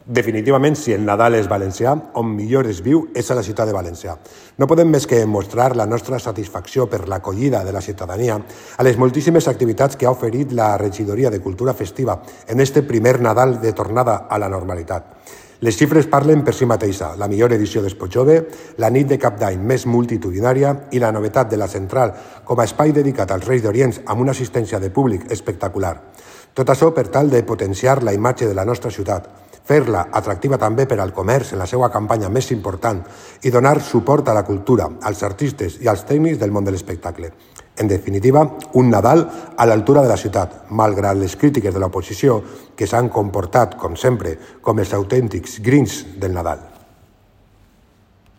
Definitivament, si el Nadal és valencià, on millor es viu és a la ciutat de València. No podem més que mostrar la nostra satisfacció per l'acollida de la ciutadania a les moltíssimes activitats que ha oferit la Regidoria de Cultura Festiva en este primer Nadal de tornada a la normalitat. Les xifres parlen per si mateixa, la millor edició d'Expo Jove, la nit de Cap d'Any més multitudinària i la novetat de la Central com a espai dedicat als Reis d'Orient amb una assistència de públic espectacular. Tot això per tal de potenciar la imatge de la nostra ciutat, fer-la atractiva també per al comerç en la seva campanya més important i donar suport a la cultura, als artistes i als tècnics del món de l'espectacle. En definitiva, un Nadal a l'altura de la ciutat, malgrat les crítiques de l'oposició que s'han comportat, com sempre, com els autèntics grinch del Nadal.